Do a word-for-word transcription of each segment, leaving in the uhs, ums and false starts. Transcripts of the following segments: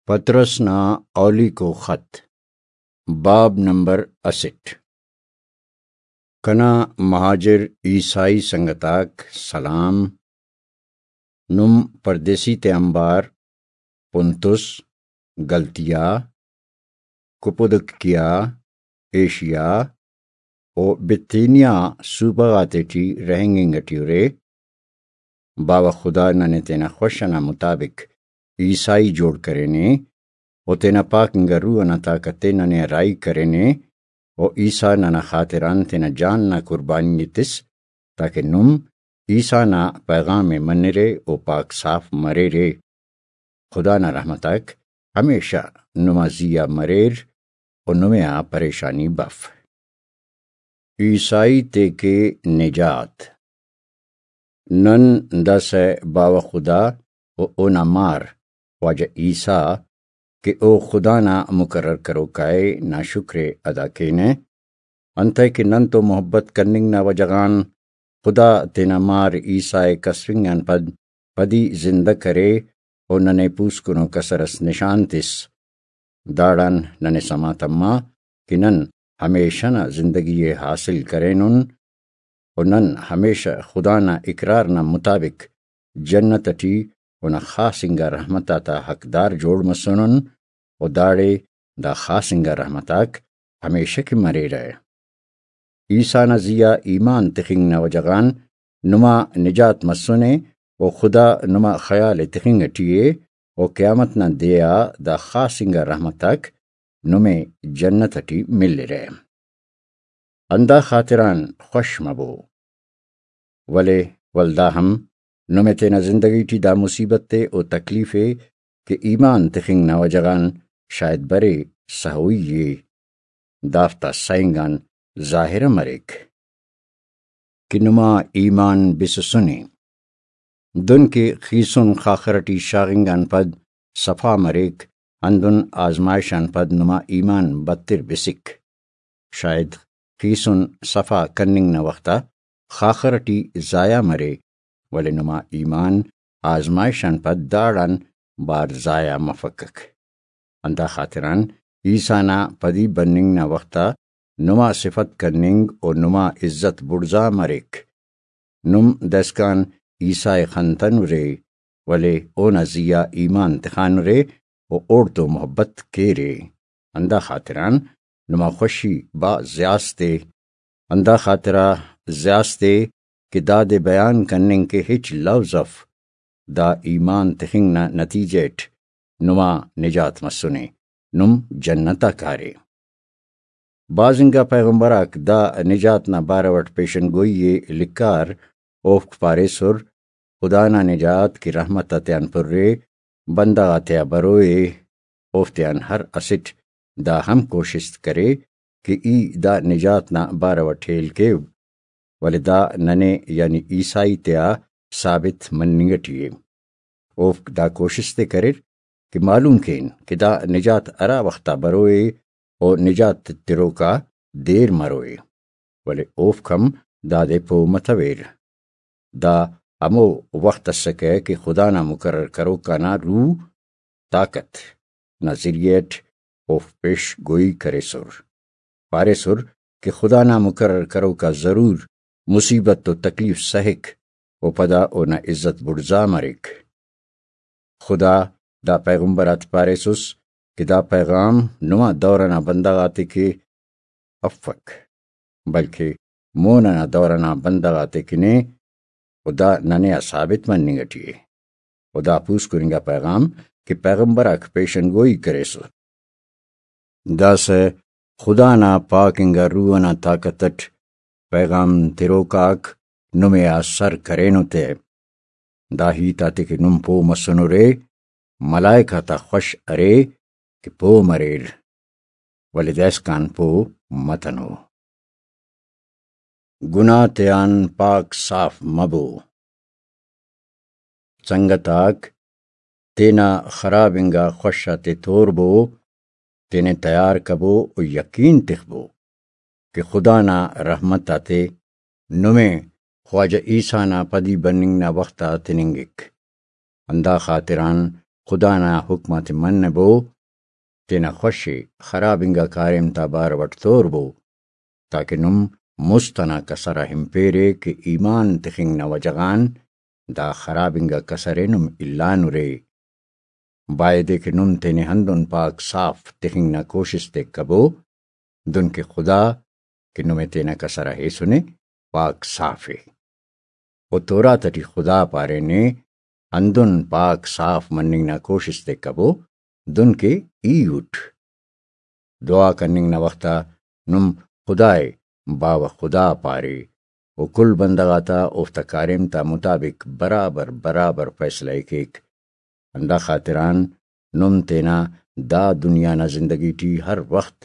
پطرس نا اولیکو خط، باب نمبر اسٹ۔ کنا مہاجر عیسائی سنگت آک سلام۔ نم پردیسی تے آنبار پنتس، گلتیا، کپودکیا، ایشیا و بتینیا صوبہ غاتیٹی رہینگنگ ٹی ارے۔ باوہ خدا ننے تینا خوش ئنا مطابق عیسائی جوڑ کرینے و تینا پاک انگا روح ئنا طاقت تے ننے راہی کرینے و عیسیٰ ننا خاطران تینا جان نا قربانی ءِ تس، تاکہ نم عیسیٰ نا پیغام ءِ منرے و پاک صاف مریرے۔ خدا نا رحمت آک ہمیشہ نما زی آ مریر و نمے آ پریشانی بف۔ عیسائی تے کے نجات۔ نن داسہ باوہ خدا و اونا مار خواجہ عیسیٰ کہ او خدا نا مقرر کروکا ءِ، نا شکر ءِ ادا کینہ، انتئے کہ نن تو محبت کننگ نا وجہ غان خدا تینا مار عیسیٰ ءِ کسفنگ آن پد پدی زندہ کرے و ننے پوسکنو کسر اس نشان تس۔ داڑان ننے سما تما کہ نن ہمیشہ نا زندگی ءِ حاصل کرینن و نن ہمیشہ خدا نا اقرار نا مطابق جنت ٹی اونا خاص انگا رحمت آتا حقدار جوڑ مسنن و داڑے دا خاص انگا رحمت آک ہمیشہ کہ مریرہ۔ عیسیٰ نا زی آ ایمان تخنگ نا وجہ غان نما نجات مسنے و خدا نما خیال ءِ تخنگ ٹی ءِ و قیامت نا دے آ دا خاص انگا رحمت آک نمے جنت ٹی ملرہ۔ اندا خاطران خوش مبو۔ ولے ولدا ہم نمے تینا زندگی ٹی دا مصیبت ءِ و تکلیف ءِ کہ ایمان تخنگ نا وجہ غان شاید برے سہوئی ءِ، دافتا سئنگ آن ظاہرہ مریک کہ نما ایمان بسسنے۔ دن کہ خیسن خاخر ٹی شاغنگ آن پد صفا مریک، ہندن آزمائش آن پد نما ایمان بتر بسک۔ شاید خیسن صفا کننگ نا وخت آ خاخر ٹی ضائع مرے، ولے نما ایمان آزمائش آن پد داڑان بار ضائع مفکک۔ اندا خاطران عیسیٰ نا پدی بننگ نا وخت آ نما صفت کننگ و نما عزت بڑزا مریک۔ نم داسکان عیسیٰ ءِ خنتنرے، ولے اونا زی آ ایمان تخانرے و اوڑتون محبت کیرے۔ اندا خاطران نما خوشی بھاز زیاست ءِ۔ اندا خاطرا زیاست ءِ کہ دادے بیان کننگ کہ ہچ لوظ اف۔ دا ایمان تخنگ نا نتیجہ اٹ نما نجات مسنے، نم جنت آ کارے۔ بھاز انگا پیغمبر آک دا نجات نا بارو اٹ پیشن گوئی ءِ لکھار، اوفک پاریسر، خدا نا نجات کہ رحمت آتیان پرے، بندغ آتیا بروئے، اوفتیان ہر اسٹ دا ہم کوشست کرے کہ ای دا نجات نا بارو اٹ ہیل کیو، ولے دا ننے یعنی عیسائی تیا ثابت مننگ ٹی ءِ۔ اوفک دا کوشست ءِ کریر کہ معلوم کین کہ دا نجات ہرا وخت آ بروئے و نجات تروکا دیر مروئے، ولے اوفک ہم دادے پہہ متویر۔ دا ہمو وخت اسکہ کہ خدا نا مقرر کروکا نا روح طاقت نا ذریعہ اٹ اوفک پیش گوئی کریسر، پاریسر کہ خدا نا مقرر کروکا ضرور مصیبت و تکلیف سہک و پدا اونا عزت بڑزا مریک۔ خدا دا پیغمبر آتے پاریسس کہ دا پیغام نما دور ئنا بندغ آتے کہ افک، بلکہ مون ئنا دور ئنا بندغ آتے کن ءِ، و دا ننے آ ثابت مننگ ٹی ءِ۔ و دا پوسکن انگا پیغام کہ پیغمبر آک پیشن گوئی کریسر۔ داسہ خدا نا پاک انگا روح ئنا طاقت اٹ پیغام تروک آک نمے آ سر کرینو تہ۔ دا ہیت آتے کہ نم پہہ مسنرے، ملائک آتا خوش ارے کہ پہہ مریر، ولے داسکان پہہ متنو۔ گناہ تیان پاک صاف مبو۔ سنگت آک، تینا خراب انگا خوش آتے توربو، تینے تیار کبو و یقین تخبو کہ خدا نا رحمت آتے نمے خواجہ عیسیٰ نا پدی بننگ نا وخت آ تننگک۔ ہندا خاطران خدا نا حکم آتے منبو، تینا خوش ءِ خراب انگا کاریم تا بارو اٹ توربو، تاکہ نم مست انا کسر آ ہنپیرے کہ ایمان تخنگ نا وجہ غان دا خراب انگا کسر ءِ نم الانرے۔ بایدے کہ نم تینے ہندن پاک صاف تخنگ نا کوشست ءِ کبو، دن کہ خدا کہ نمے تینا کسر آ ہیسنے پاک صاف ءِ۔ و تورات اٹی خدا پارینے، ہندن پاک صاف مننگ نا کوشست ءِ کبو، دن کہ ای اٹ۔ دعا کننگ نا وخت آ نم خدا ءِ باوہ خدا پارے، و کل بندغ آتا اوفتا کاریم تا مطابق برابر برابر فیصلہ ءِ کیک۔ ہندا خاطران نم تینا دا دنیا نا زندگی ٹی ہر وخت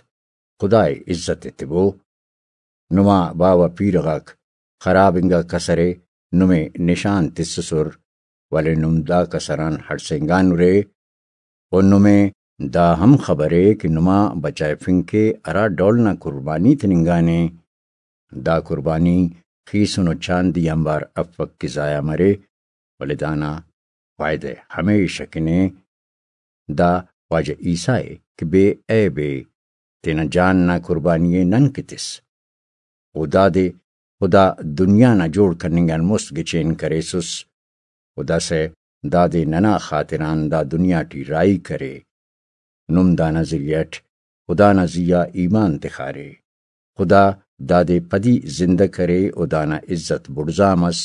خدا ءِ عزت ایتبو۔ نما باوہ پیرہ غاک خراب انگا کسر ءِ نمے نشان تسسر، ولے نم دا کسر آن ہڑسینگانرے، و نمے دا ہم خبر ءِ کہ نما بچائفنگ کہ ہرا ڈول نا قربانی تننگانے، دا قربانی خیسن و چاندی آنبار افک کہ ضائع مرے، ولے دانا فائدہ ہمیش اکن ءِ۔ دا خواجہ عیسیٰ ءِ کہ بے عیب ءِ، تینا جان نا قربانی ءِ نن کہ تس۔ و دادے خدا دنیا نا جوڑ کننگ آن مست گچین کریسس، و داسہ دادے ننا خاطران دا دنیا ٹی راہی کرے۔ نم دانا ذریعہ اٹ خدا نا زی آ ایمان تخارے۔ خدا دادے پدی زندہ کرے و دانا عزت بڑزا مس،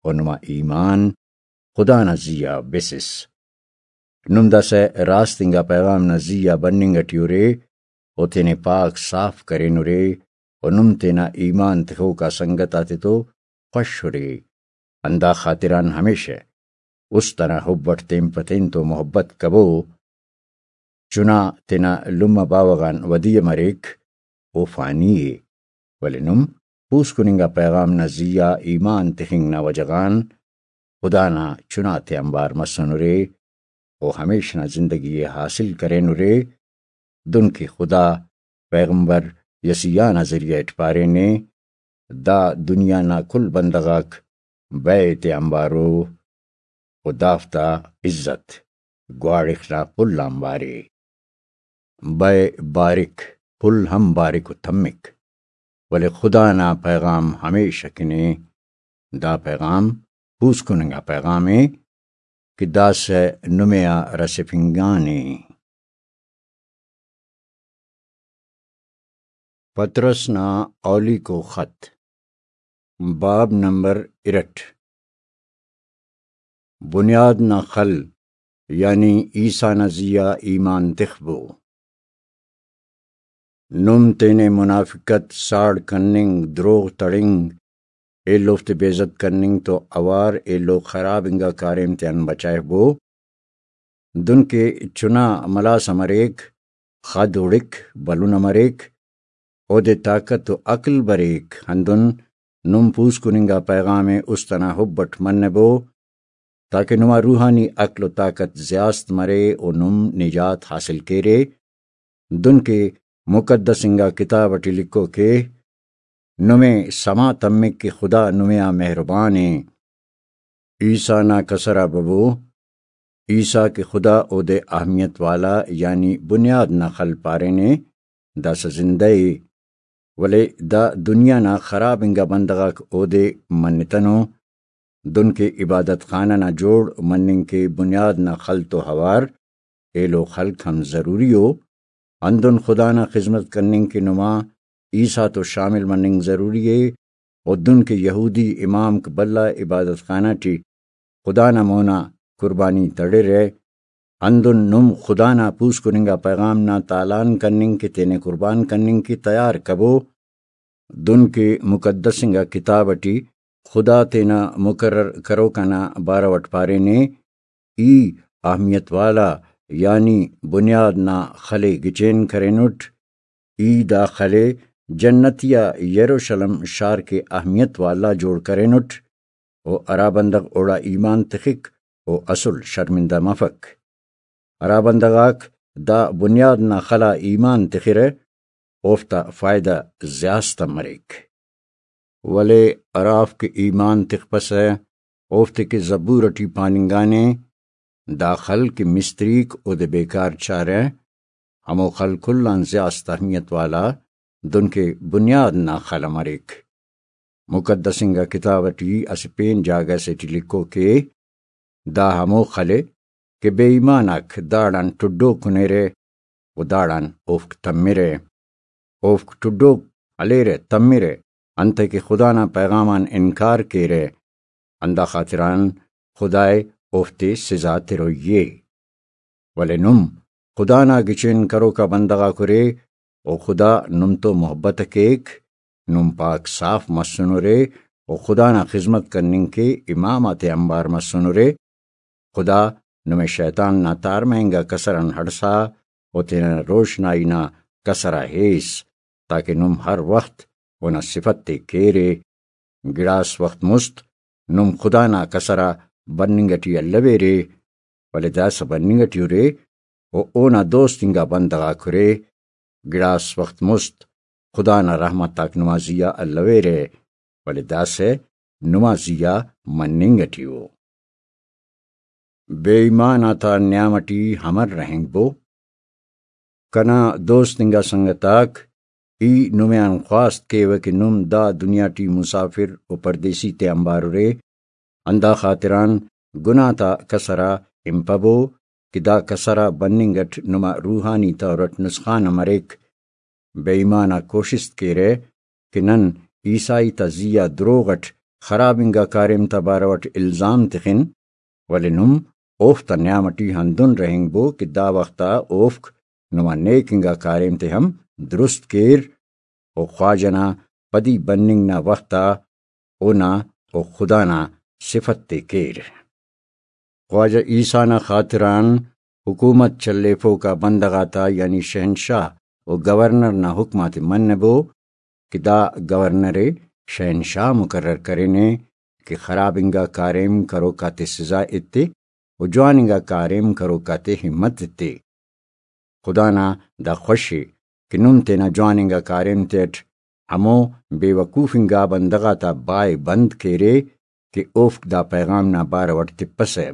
و نما ایمان خدا نا زی آ بسس۔ نم داسہ راست انگا پیغام نا زی آ بننگ اٹی ارے، و تینے پاک صاف کرینرے، و نم تینا ایمان تخوکا سنگت آتتو خوش ارے۔ ہندا خاطران ہمیشہ است انا حب اٹ تین پہ تین تو محبت کبو۔ چنا تینا لمہ باوہ غان ودی ءِ مریک، او فانی ءِ، ولے نم پوسکن انگا پیغام نا زی آ ایمان تخنگ نا وجہ غان خدا نا چنا تے آنبار مسنرے، او ہمیش نا زندگی ءِ حاصل کرینرے۔ دن کہ خدا پیغمبر یسیہ نا ذریعہ اٹ پارینے، دا دنیا نا کل بندغ آک بئے تے آنبارو، و دافتا عزت گواڑخ نا پل آنبارے۔ بئے بارک، پل ہم بارک و تمک، ولے خدا نا پیغام ہمیش اکن ءِ۔ دا پیغام پوسکن انگا پیغام ءِ کہ داسہ نمے آ رسفنگانے۔ پطرس نا اولیکو خط، باب نمبر ارٹ۔ بنیاد نا خل، یعنی عیسیٰ نا زی آ ایمان تخبو۔ نم تینے منافقت، ساڑ کننگ، دروغ تڑنگ، ایلوفتے بے عزت کننگ تو اوار ایلو خراب انگا کاریم تیان بچائفبو۔ دن کہ چنا ملاسہ مریک، خد ہڑک، بھلن مریک، اودے طاقت و عقل بریک، ہندن نم پوسکن انگا پیغام ءِ است انا حب اٹ منبو، تاکہ نما روحانی عقل و طاقت زیاست مرے و نم نجات حاصل کیرے۔ دن کہ مقدس انگا کتاب اٹی لکھوک ءِ، نمے سما تمک کہ خدا نمے آ مہربان ءِ۔ عیسیٰ نا کسر آ ببو، عیسیٰ کہ خدا اودے اہمیت والا یعنی بنیاد نا خل پارینے، داسہ زندہ ءِ، ولے دا دنیا نا خراب انگا بندغ آک اودے منتنو۔ دن کہ عبادت خانہ نا جوڑ مننگ کہ بنیاد نا خل تو اوار ایلو خلق ہم ضروری ءُ، ہندن خدا نا خذمت کننگ کہ نما عیسیٰ تو شامل مننگ ضروری ءِ، و دن کہ یہودی امامک بھلا عبادت خانہ ٹی خدا نا مونا قربانی تڑرہ، ہندن نم خدا نا پوسکن انگا پیغام نا تالان کننگ کہ تینے قربان کننگ کہ تیار کبو۔ دن کہ مقدس انگا کتاب ٹی خدا تینا مقرر کروک آنا بارو اٹ پارینے، ای اہمیت والا یعنی بنیاد نا خل ءِ گچین کرینٹ۔ ای دا خل ءِ جنتیہ یروشلم شار کہ اہمیت والا جوڑ کرینٹ، و ہرا بندغ اوڑا ایمان تخک، او اسل شرمندہ مفک۔ ہرا بندغ آک دا بنیاد نا خل آ ایمان تخرہ، اوفتا فائدہ زیاست آ مریک۔ ولے ہرافک ایمان تخپسہ، اوفتے کہ زبور ٹی پاننگانے، دا خل کہ مستریک اودے بیکار چارہ، ہمو خل کل آن زیات اہمیت والا، دنکہ بنیاد نا خل مریک۔ مقدس انگا کتاب ٹی اسہ پین جاگہ سے ٹی لکھو کہ دا ہمو خل ءِ کہ بے ایمان آک داڑان ٹڈو کنیرہ و داڑان اوفک تمرہ۔ اوفک ٹڈوک ہلیرہ، تمرہ، انتئے کہ خدا نا پیغام آن انکار کیرہ، ہندا خاطران خدائے اوفتے سزا تروئی ءِ۔ ولے نم خدا نا گچین کروکا بندغ آک ارے، و خدا نم تو محبت ءِ کیک، نم پاک صاف مسنرے و خدا نا خذمت کننگ کہ امام آتے آنبار مسنرے۔ خدا نمے شیطان نا تارمہ انگا کسر آن ہڑسا و تینا روشنائی نا کسر آ ہیس، تاکہ نم ہر وخت اونا صفت تے کیرے۔ گڑاس وخت مست نم خدا نا کسر آ بننگ ٹی الویرے، ولے داسہ بننگ ٹی ارے و اونا دوست انگا بندغ آک ارے۔ گڑاس وخت مست خدا نا رحمت آک نما زیہا الویرہ، ولے داسہ نما زیہا مننگ ٹی ءُ۔ بے ایمان آتا نیام ٹی امر رہینگبو۔ کنا دوست انگا سنگت آک، ای نمے آن خواست کیوہ کہ نم دا دنیا ٹی مسافر و پردیسی تے آنبار ارے، ہندا خاطران گناہ تا کسر آ ہنپبو کہ دا کسر آ بننگ اٹ نما روحانی طور اٹ نسخان ءِ مریک۔ بے ایمان آک کوشست کیرہ کہ نن عیسائی تا زی آ دروغ اٹ خراب انگا کاریم تا بارو اٹ الزام تخن، ولے نم اوفتا نیام ٹی ہندن رہینگبو کہ دا وخت آ اوفک نما نیک انگا کاریم تے ہم درست کیر و خواجہ نا پدی بننگ نا وخت آ اونا و خدا نا صفت تے کیر۔ خواجہ عیسیٰ نا خاطران حکومت چلیفوکا بندغ آتا، یعنی شہنشاہ و گورنر نا حکم آتے منبو کہ دا گورنر ءِ شہنشاہ مقرر کرینے کہ خراب انگا کاریم کروک آتے سزا ایتے و جوان انگا کاریم کروک آتے ہمت ایتے۔ خدا نا دا خوش ءِ کہ نم تینا جوان انگا کاریم تیٹ ہمو بے وقوف انگا بندغ آتا بائے بند کیرے کہ اوفک دا پیغام نا بارو اٹ تپسہ۔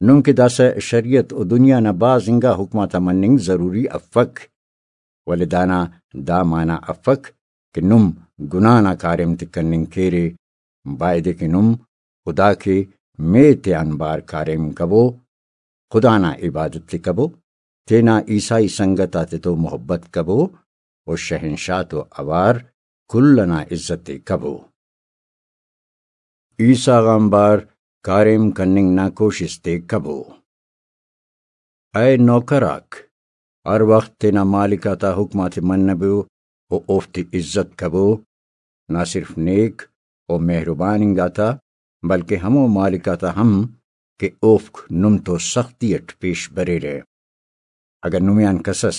نم کہ داسہ شریعت و دنیا نا بھاز انگا حکم آتا مننگ ضروری افک، ولے دانا دا معنی افک کہ نم گناہ نا کاریم تے کننگ کیرے۔ بایدے کہ نم خدا کے مے تیان بار کاریم کبو، خدا نا عبادت تے کبو، تینا عیسائی سنگت آتے تو محبت کبو و شہنشاہ تو اوار کل ئنا عزت تے کبو۔ عیسیٰ غان بار کاریم کننگ نا کوشست تے کبو۔ اے نوکر آک، ہر وخت تینا مالک آتا حکم آتے منبو و اوفتے عزت کبو، نہ صرف نیک و مہربان انگاتا، بلکہ ہمو مالک آتا ہم کہ اوفک نم تو سختی اٹ پیش بریرہ۔ اگہ نمے آن کسس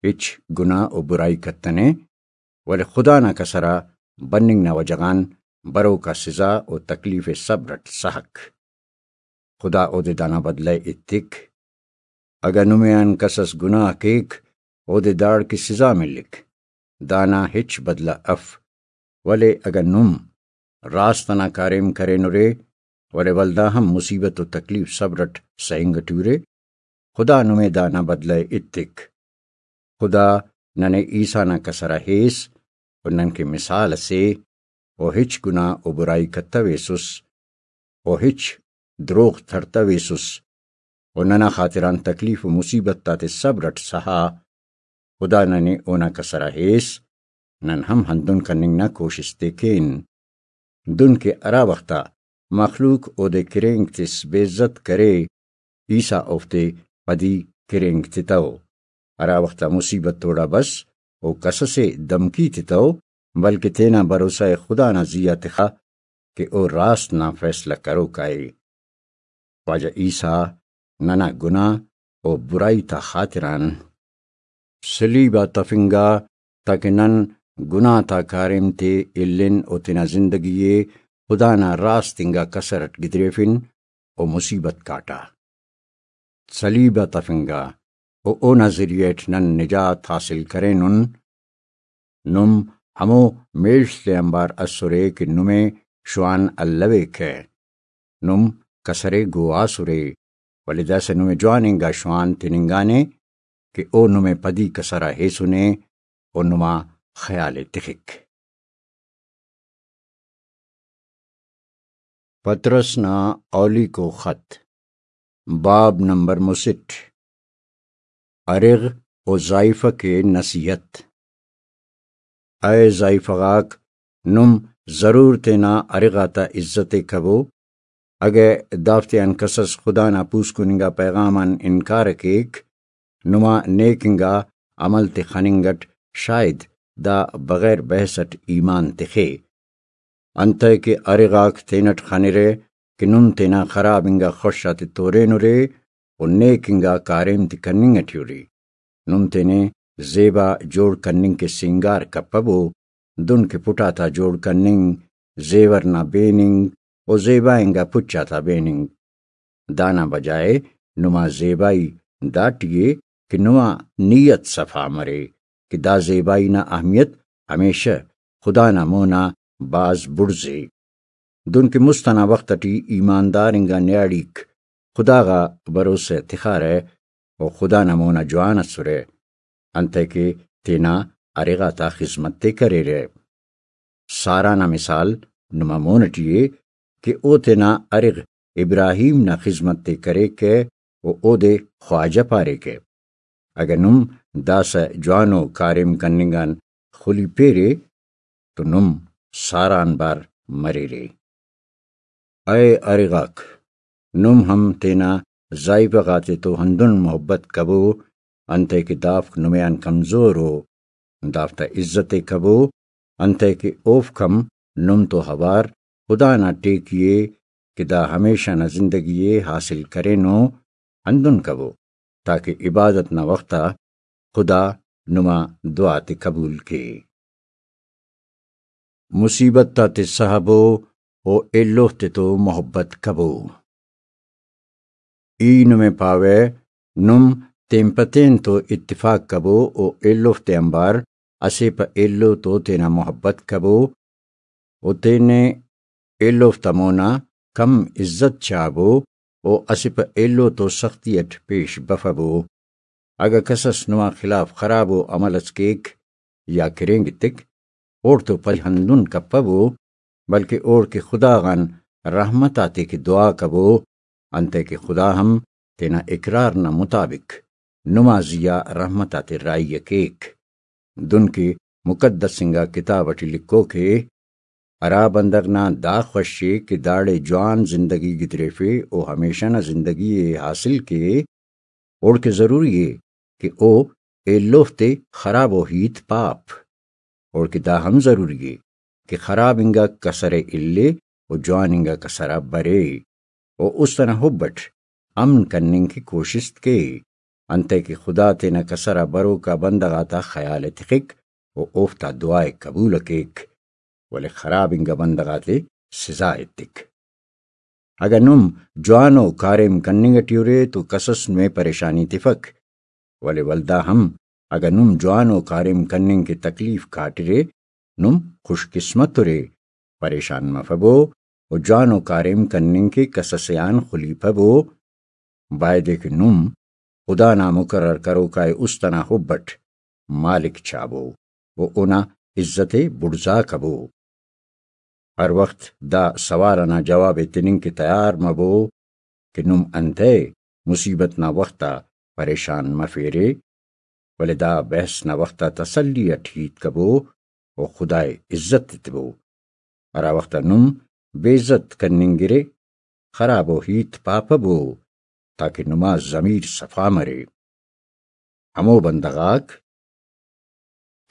ہچ گناہ و برائی کتنے، ولے خدا نا کسر آ بننگ نا وجہ غان بروکا سزا و تکلیف صبر اٹ سہک۔ خدا اودے دانا بدلہ ءِ ایتک۔ اگہ نمے آن کسس گناہ کیک، اودے داڑکہ سزا ملک، دانا ہچ بدلہ اف۔ ولے اگہ نم راست ئنا کاریم کرینرے، ولے ولدا ہم مصیبت و تکلیف صبر اٹ سہنگ ٹی ارے، خدا نمے دانا بدلہ ءِ ایتک۔ خدا ننے عیسیٰ نا کسر آ ہیس و ننکہ مثال ئسے، و ہچ گناہ و برائی کتویسس، و ہچ دروغ تڑتویسس، و ننا خاطران تکلیف و مصیبت آتے صبر اٹ سہا۔ خدا ننے اونا کسر آ ہیس، نن ہم ہندن کننگ نا کوشست ءِ کین۔ دن کہ ہرا وخت آ مخلوق اودے کھرینک تس بے عزت کرے، عیسیٰ اوفتے پدی کھرینک تتو۔ ہرا وخت آ مصیبت اوڑا بس، او کسسے دھمکی تتو، بلکہ تینا بھروسہ ءِ خدا نا زی آ تخا کہ او راست نا فیصلہ کروکا ءِ۔ خواجہ عیسیٰ ننا گناہ و برائی تا خاطران صلیب آ تفنگا، تاکہ نن گناہ تا کاریم تے الن و تینا زندگی ءِ خدا نا راست انگا کسر اٹ گدریفن و مصیبت کاٹا۔ صلیب آ تفنگا و اونا ذریعہ اٹ نن نجات حاصل کرینن۔ نم ہمو میڷ تے آنبار اسرے کہ نمے شوان الویکہ۔ نم کسرے گواس ارے۔ ولے داسہ نمے جوان انگا شوان تننگانے کہ او نمے پدی کسرا ہیسنے و نما خیال ءِ تخک۔ پطرس نا اولیکو خط، باب نمبر مسٹ، ارغ و زائیفہ کے نصیحت۔ اے زائیفہ غاک، نم ضرور تینا ارغ آتا عزت ءِ کبو۔ اگہ دافتیان کسس خدا نا پوسکن انگا پیغام آن انکار ءِ کیک، نما نیک انگا عمل تے خننگ اٹ شاید دا بغیر بحث اٹ ایمان تخے۔ انتئے کہ ارغاک تینٹ خنرہ کہ نم تینا خراب انگا خوش آتے تورینرے و نیک انگا کاریم تے کننگ اٹی ارے۔ نم تینے زیبا جوڑ کننگ کہ سینگار کپبو، دن کہ پٹ آتا جوڑ کننگ، زیور نا بیننگ و زیبا انگا پچ آتا بیننگ۔ دانا بجائے نما زیبائی داٹی ءِ کہ نما نیت صفا مرے کہ دا زیبائی نا اہمیت ہمیشہ خدا نا مونا بھاز بڑز ءِ۔ دنکہ مست ئنا وخت ئٹی ایماندار انگا نیاڑیک خدا غا بھروسہ تخارہ و خدا نا مونا جوان ئسرہ، انتئے کہ تینا ارغ آتا خذمت ءِ کریرہ۔ سارا نا مثال نما مون ئٹی ءِ کہ او تینا ارغ ابراہیم نا خذمت ءِ کریکہ و اودے خواجہ پاریکہ۔ اگہ نم داسہ جوانو کاریم کننگ آن خلیپیرے تو نم سارا آنبار مریرے۔ اے ارغاک، نم ہم تینا زائیفہ غاتے تو ہندن محبت کبو، انتئے کہ دافک نمے آن کمزور ءُ۔ دافتا عزت ءِ کبو، انتئے کہ اوفک ہم نم تو اوار خدا نا ٹیکی ءِ کہ دا ہمیشہ نا زندگی ءِ حاصل کرینو، ہندن کبو تاکہ عبادت نا وخت آ خدا نما دعا تے قبول کے۔ مصیبت آتے سہبو و ایلوفتے تو محبت کبو۔ ای نمے پاوہ، نم تین پہ تین تو اتفاق کبو و ایلوفتے آنبار اسہ پہ ایلو تو تینا محبت کبو و تینے ایلوفتا مونا کم عزت چابو و اسہ پہ ایلو تو سختی اٹ پیش بفبو۔ اگہ کسس نما خلاف خرابو عمل اس کیک یا کرینگ ایتک، اوڑتو پل ہندن کپبو، بلکہ اوڑکہ خدا غان رحمت آتیکہ دعا کبو، انتئے کہ خدا ہم تینا اقرار نا مطابق نما زیہا رحمت آتے راہی ءِ کیک۔ دنکہ مقدس انگا کتاب اٹی لکھوک ءِ، ہرا بندغ نا دا خوش ءِ کہ داڑے جوان زندگی گدریفے و ہمیشہ نا زندگی ءِ حاصل کے، اوڑکہ ضروری ءِ کہ او ایلوفتے خرابو ہیت پاپ۔ اوڑکہ دا ہم ضروری ءِ کہ خراب انگا کسر ءِ الے و جوان انگا کسر آ برے و است ئنا حب اٹ امن کننگ کہ کوشست کے، انتئے کہ خدا تینا کسر آ بروکا بندغ آتا خیال ءِ تخک و اوفتا دعا ءِ قبول ءِ کیک، ولے خراب انگا بندغ آتے سزا ایتک۔ اگہ نم جوانو کاریم کننگ اٹی ارے تو کسس نمے پریشانی تفک، ولے ولدا ہم اگہ نم جوانو کاریم کننگ کہ تکلیف کاٹرے، نم خوش قسمت ارے، پریشان مفبو و جوانو کاریم کننگ کہ کسسے آن خلیپبو۔ بایدے کہ نم خدا نا مقرر کروکائے است ئنا حب اٹ مالک چابو و اونا عزت ءِ بڑزا کبو۔ ہر وخت دا سوال ئنا جواب ءِ تننگ کہ تیار مبو کہ نم انتئے مصیبت نا وخت آ پریشان مفیرے، ولے دا بحث نا وخت آ تسلی اٹ ہیت کبو و خدائے عزت تتبو۔ ہرا وخت آ نم بے عزت کننگرے، خرابو ہیت پاپبو، تاکہ نما ضمیر صفا مرے۔ ہمو بندغ آک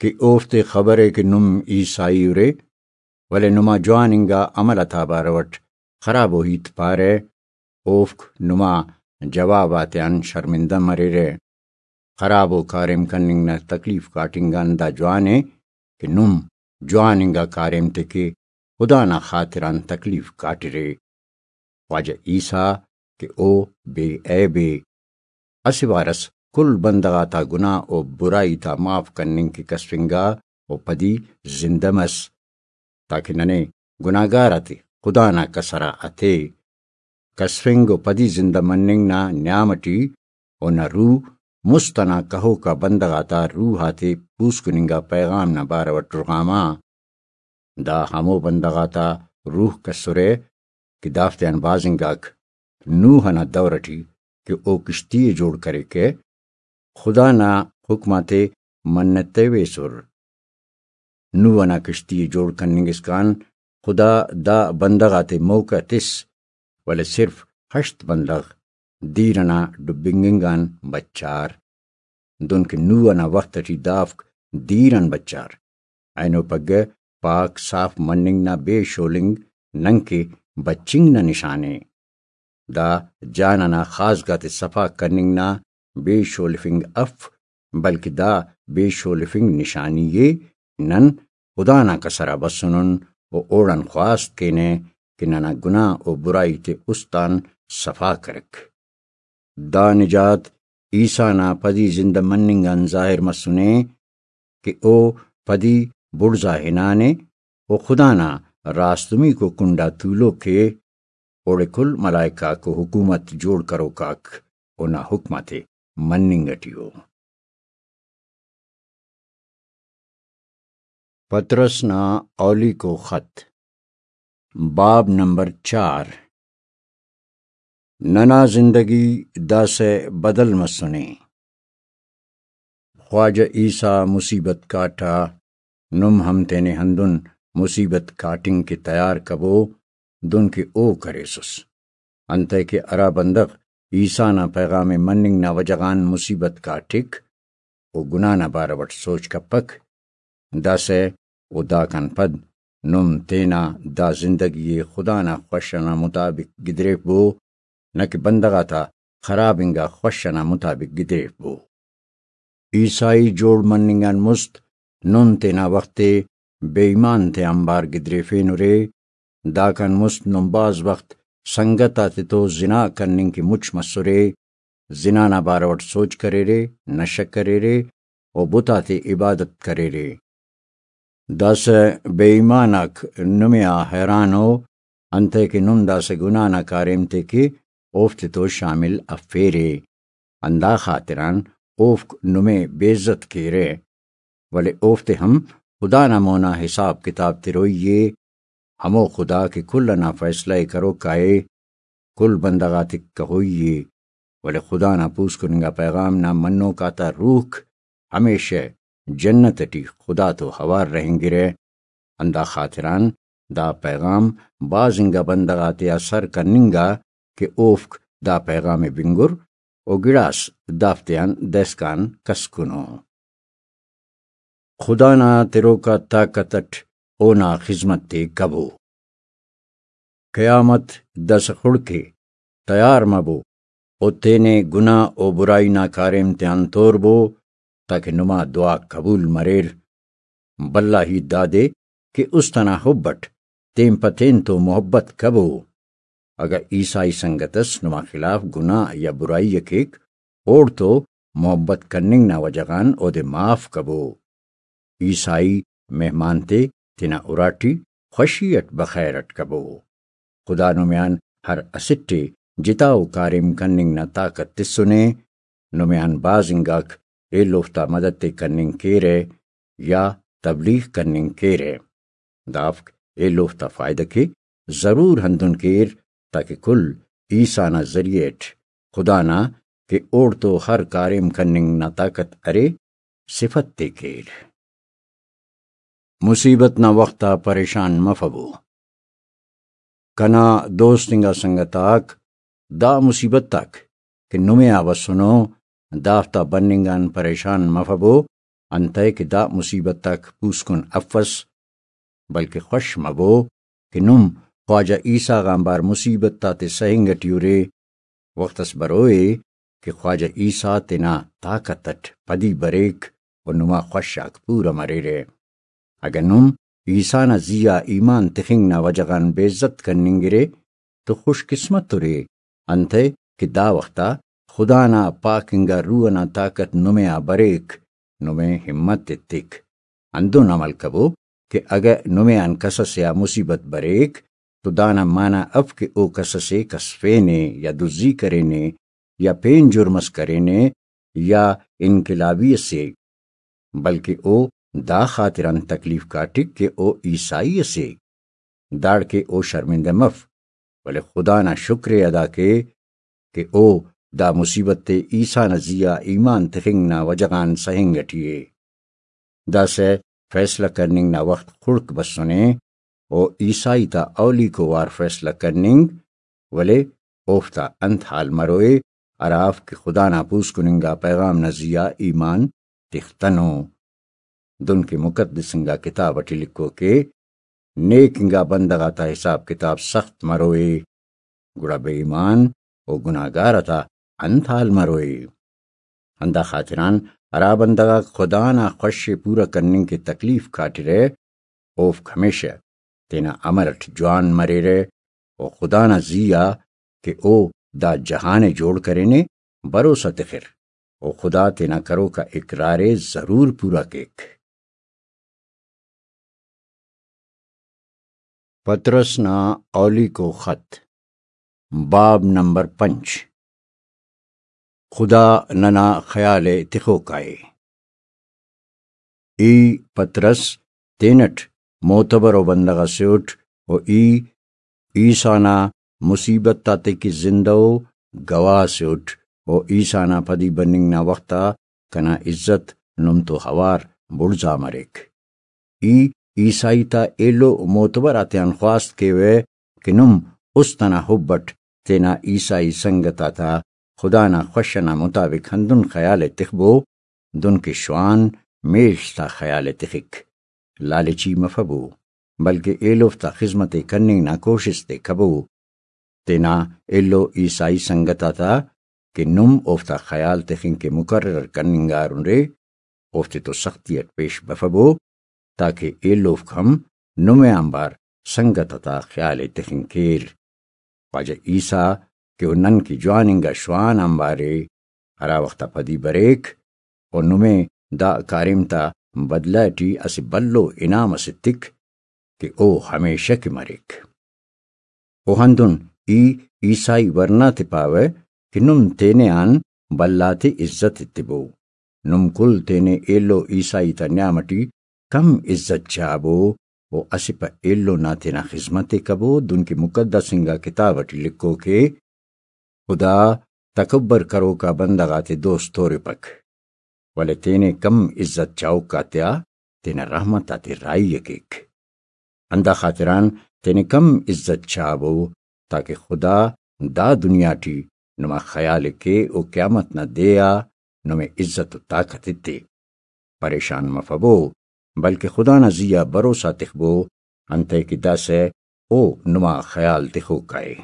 کہ اوفتے خبر ءِ کہ نم عیسائی ارے، ولے نما جوان انگا عمل آتا بارو اٹ خرابو ہیت پارہ، اوفک نما جواب آتیان شرمندہ مریرہ۔ خرابو کاریم کننگ نا تکلیف کاٹنگ آن دا جوان ءِ کہ نم جوان انگا کاریم تے کہ خدا نا خاطران تکلیف کاٹرے۔ خواجہ عیسیٰ کہ او بے عیب ءِ، اسہ وار اس کل بندغ آتا گناہ و برائی تا معاف کننگ کہ کسفنگا و پدی زندہ مس، تاکہ ننے گناہگار آتے خدا نا کسر آ اتے۔ کسفنگ و پدی زندہ مننگ نا نیام اٹی اونا روح مست انا کہوکا بندغ آتا روح آتے پوسکن انگا پیغام نا بارو اٹ رغاما۔ دا ہمو بندغ آتا روحک اسرہ کہ دافتیان بھاز انگاک نوح ئنا دور ئٹی کہ او کشتی ئے جوڑ کریکہ، خدا نا حکم آتے منتویسر۔ نوح ئنا کشتی ئے جوڑ کننگ اسکان خدا دا بندغ آتے موقع تس، ولے صرف ہشت بندغ دیر ئنا ڈبنگنگ آن بچار۔ دنکہ نوح ئنا وخت ئٹی دافک دیر آن بچار۔ اینو پگہ پاک صاف مننگ نا بے شولنگ ننکہ بچنگ نا نشان ءِ۔ دا جان ئنا خاصگاتے صفا کننگ نا بے شولفنگ اف، بلکہ دا بے شولفنگ نشانی ءِ۔ نن خدا نا کسر آ بسنن و اوڑان خواست کینہ کہ ننا گناہ و برائی تے است آن صفا کرک۔ دا نجات عیسیٰ نا پدی زندہ مننگ آن ظاہر مسنے کہ او پدی بڑزا ہنانے و خدا نا راستمیکو کنڈا تولوک ءِ۔ اوڑے کل ملائکہ آک و حکومت جوڑ کروک آک اونا حکم آتے مننگ ٹی ءُ۔ پطرس نا اولیکو خط، باب نمبر چار۔ ننا زندگی داسہ بدل مسنے۔ خواجہ عیسیٰ مصیبت کاٹا، نم ہم تینے ہندن مصیبت کاٹنگ کہ تیار کبو، دن کہ او کریسس۔ انتئے کہ ہرا بندغ عیسیٰ نا پیغام ءِ مننگ نا وجہ غان مصیبت کاٹک، او گناہ نا بارو اٹ سوچ کپک، داسہ و داکان پد نم تینا دا زندگی ءِ خدا نا خوش ئنا مطابق گدریفبو، نہ کہ بندغ آتا خراب انگا خوش ئنا مطابق گدریفبو۔ عیسائی جوڑ مننگ آن مست نم تینا وخت ءِ بے ایمان تے آنبار گدریفینرے۔ داکان مست نم بھاز وخت سنگت آتتو زنا کننگ کہ مچ مسرے، زنا نا بارو اٹ سوچ کریرے، نشہ کریرے و بت آتے عبادت کریرے۔ داسہ بے ایمان آک نمے آ حیران ءُ، انتئے کہ نم داسہ گناہ نا کاریم تے کہ اوفتے تو شامل افیرے، ہندا خاطران اوفک نمے بے عزت کیرہ، ولے اوفتے ہم خدا نا مونا حساب کتاب تروئی ءِ۔ ہمو خدا کہ کل ئنا فیصلہ ءِ کروکا ءِ، کل بندغ آتیک کہوئی ءِ، ولے خدا نا پوسکن انگا پیغام نا منوک آتا روحک ہمیشہ جنت ٹی خدا تو اوار رہینگرہ۔ ہندا خاطران دا پیغام بھاز انگا بندغ آتیا سر کننگا کہ اوفک دا پیغام ءِ بنگر و گڑاس دافتیان دہسکان کسکنو۔ خدا نا تروکا طاقت اٹ اونا خذمت تے کبو۔ قیامت داسہ خڑک ءِ، تیار مبو و تینے گناہ و برائی نا کاریم تیان توربو، تاکہ نما دعا قبول مریر۔ بھلا ہیت دادے کہ است ئنا حب اٹ تین پہ تین تو محبت کبو۔ اگہ عیسائی سنگت اس نما خلاف گناہ یا برائی ءِ کیک، اوڑتو محبت کننگ نا وجہ غان اودے معاف کبو۔ عیسائی مہمان تے تینا اراٹی خوشی اٹ بخیر اٹ کبو۔ خدا نمیان ہر اسٹ ءِ جتا و کاریم کننگ نا طاقت تسنے۔ نمیان بھاز انگاک ایلوفتا مدد تے کننگ کیرہ یا تبلیغ کننگ کیرہ۔ دافک ایلوفتا فائدہ کے ضرور ہندن کیر، تاکہ کل عیسیٰ نا ذریعہ اٹ خدا نا کہ اوڑتو ہر کاریم کننگ نا طاقت ارے، صفت تے کیر۔ مصیبت نا وخت آ پریشان مفبو۔ کنا دوست انگا سنگت آک، دا مصیبت آک کہ نمے آ بسنو، دافتا بننگ آن پریشان مفبو، انتئے کہ دا مصیبت آک پوسکن افس، بلکہ خوش مبو کہ نم خواجہ عیسیٰ غان بار مصیبت آتے سہنگ ٹی ارے۔ وخت اس بروئے کہ خواجہ عیسیٰ تینا طاقت اٹ پدی بریک و نما خوش آک پورہ مریرہ۔ اگہ نم عیسیٰ نا زی آ ایمان تخنگ نا وجہ غان بے عزت کننگرے تو خوش قسمت ارے، انتئے کہ دا وخت آ خدا نا پاک انگا روح ئنا طاقت نمے آ بریک، نمے ہمت ایتک۔ ہندن عمل کبو کہ اگہ نمے آن کس ئسے آ مصیبت بریک تو دانا معنی اف کہ او کس اسے کسفینے یا دزی کرینے یا پین جرم اس کرینے یا انقلابی اسے، بلکہ او دا خاطران تکلیف کاٹک کہ او عیسائی اسے۔ داڑکہ او شرمندہ مف، ولے خدا نا شکر ءِ ادا کے کہ او دا مصیبت ءِ عیسیٰ نا زی آ ایمان تخنگ نا وجہ غان سہنگ اٹی ءِ۔ داسہ فیصلہ کننگ نا وخت خڑک بسنے، و عیسائی تا اولیکو وار فیصلہ کننگ، ولے اوفتا انت حال مروئے ہرافک خدا نا پوسکن انگا پیغام نا زی آ ایمان تختنو؟ دنکہ مقدس انگا کتاب اٹی لکھوکے، نیک انگا بندغ آتا حساب کتاب سخت مروئے، گڑا بے ایمان و گناہگار آتا انت حال مروئے؟ ہندا خاطران ہرا بندغ آک خدا نا خوش ءِ پورا کننگ کہ تکلیف کاٹرہ، اوفک ہمیشہ تینا عمل اٹ جوان مریرہ و خدا نا زی آ کہ او دا جہان ءِ جوڑ کرینے، بھروسہ تخر و خدا تینا کروک آ اقرار ءِ ضرور پورا کیک۔ پطرس نا اولیکو خط، باب نمبر پنچ۔ خدا ننا خیال ءِ تخوکا ءِ۔ ای پطرس تینٹ معتبر و بندغ اسے اٹ و ای عیسیٰ نا مصیبت آتے کہ زندہ و گواہ سے اٹ و عیسیٰ نا پدی بننگ نا وخت آ کنا عزت نم تو ہوار بڑزا مریک۔ ای عیسائی تا ایلو معتبر آتیان خواست کیوہ کہ نم است انا حب اٹ تینا عیسائی سنگت آتا خدا نا خوش انا مطابق ہندن خیال ءِ تخبو، دنکہ شوان میڷ تا خیال ءِ تخک۔ لالچی مفبو، بلکہ ایلوفتا خذمت ءِ کننگ نا کوشست ءِ کبو۔ تینا ایلو عیسائی سنگت آتا کہ نم اوفتا خیال تخنگ کہ مقرر کننگارن رے، اوفتے تو سختی اٹ پیش بفبو، تاکہ ایلوفک ہم نمے آنبار سنگت آتا خیال ءِ تخنگ کیر۔ خواجہ عیسیٰ کہ او نن کہ جوان انگا شوان آنبار ءِ، ہرا وخت آ پدی بریک، و نمے دا کاریم تا بدلہ ٹی اسہ بھلو انعام اس ایتک کہ او ہمیشہ کہ مریک۔ و ہندن ای عیسائی ورنا تے پاوہ کہ نم تینے آن بھلا تے عزت ایتبو۔ نم کل تینے ایلو عیسائی تا نیام ٹی کم عزت چابو و اسہ پہ ایلو نا تینا خذمت ءِ کبو، دنکہ مقدس انگا کتاب ٹی لکھوکے، خدا تکبر کروکا بندغ آتے دوست تورپک، ولے تینے کم عزت چاہوک آتیا تینا رحمت آتے راہی ءِ کیک۔ ہندا خاطران تینے کم عزت چابو، تاکہ خدا دا دنیا ٹی نما خیال ءِ کے و قیامت نا دے آ نمے عزت و طاقت ایتے۔ پریشان مفبو، بلکہ خدا نا زی آ بھروسہ تخبو، انتئے کہ داسہ او نما خیال تخوکا ءِ۔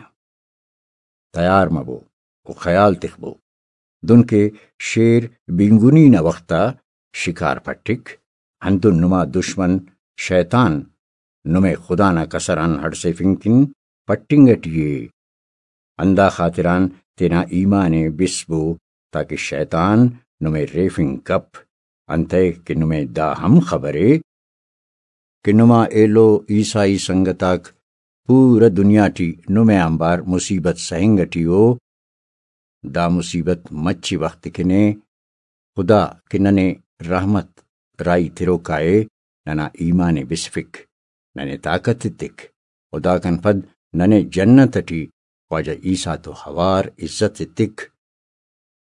تیار مبو و خیال تخبو، دنکہ شیر بینگنی نا وخت آ شکار پٹک، ہندن نما دشمن شیطان نمے خدا نا کسر آن ہڑسیفنگ کن پٹنگ ٹی ءِ۔ ہندا خاطران تینا ایمان ءِ بسبو، تاکہ شیطان نمے ریفنگ کپ، انتئے کہ نمے دا ہم خبر ءِ کہ نما ایلو عیسائی سنگت آک پورا دنیا ٹی نمے آنبار مصیبت سہنگ ٹی ءُ۔ دا مصیبت مچی وخت کن ءِ۔ خدا کہ ننے رحمت راہی تروکا ءِ، ننا ایمان ءِ بسفک، ننے طاقت ایتک، و داکان پد ننے جنت ٹی خواجہ عیسیٰ تو ہوار عزت ایتک،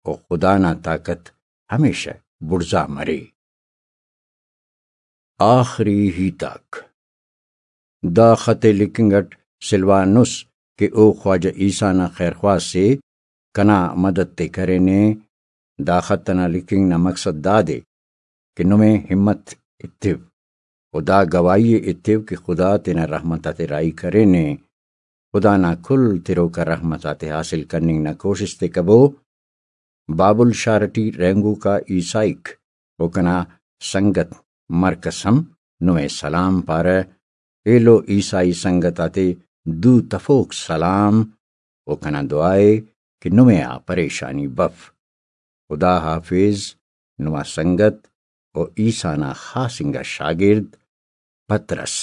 و خدا نا طاقت ہمیشہ بڑزا مرے۔ آخری ہیت آک۔ دا خط ءِ لکھنگ اٹ سلوانس کہ او خواجہ عیسیٰ نا خیرخواہ سے، کنا مدد تے کرینے۔ دا خط ئنا لکھنگ نا مقصد دادے کہ نمے ہمت ایتو و دا گواہی ءِ ایتو کہ خدا تینا رحمت آتے راہی کرینے۔ خدا نا کل تروکا رحمت آتے حاصل کننگ نا کوشست ءِ کبو۔ بابل شار ٹی رہینگوکا عیسائیک و کنا سنگت مرک ئس ہم نمے سلام پارہ۔ ایلو عیسائی سنگت آتے دو تفوک سلام و کنا دعا ءِ کہ نمے آ پریشانی بف۔ خدا حافظ۔ نما سنگت و عیسیٰ نا خاص انگا شاگرد پطرس۔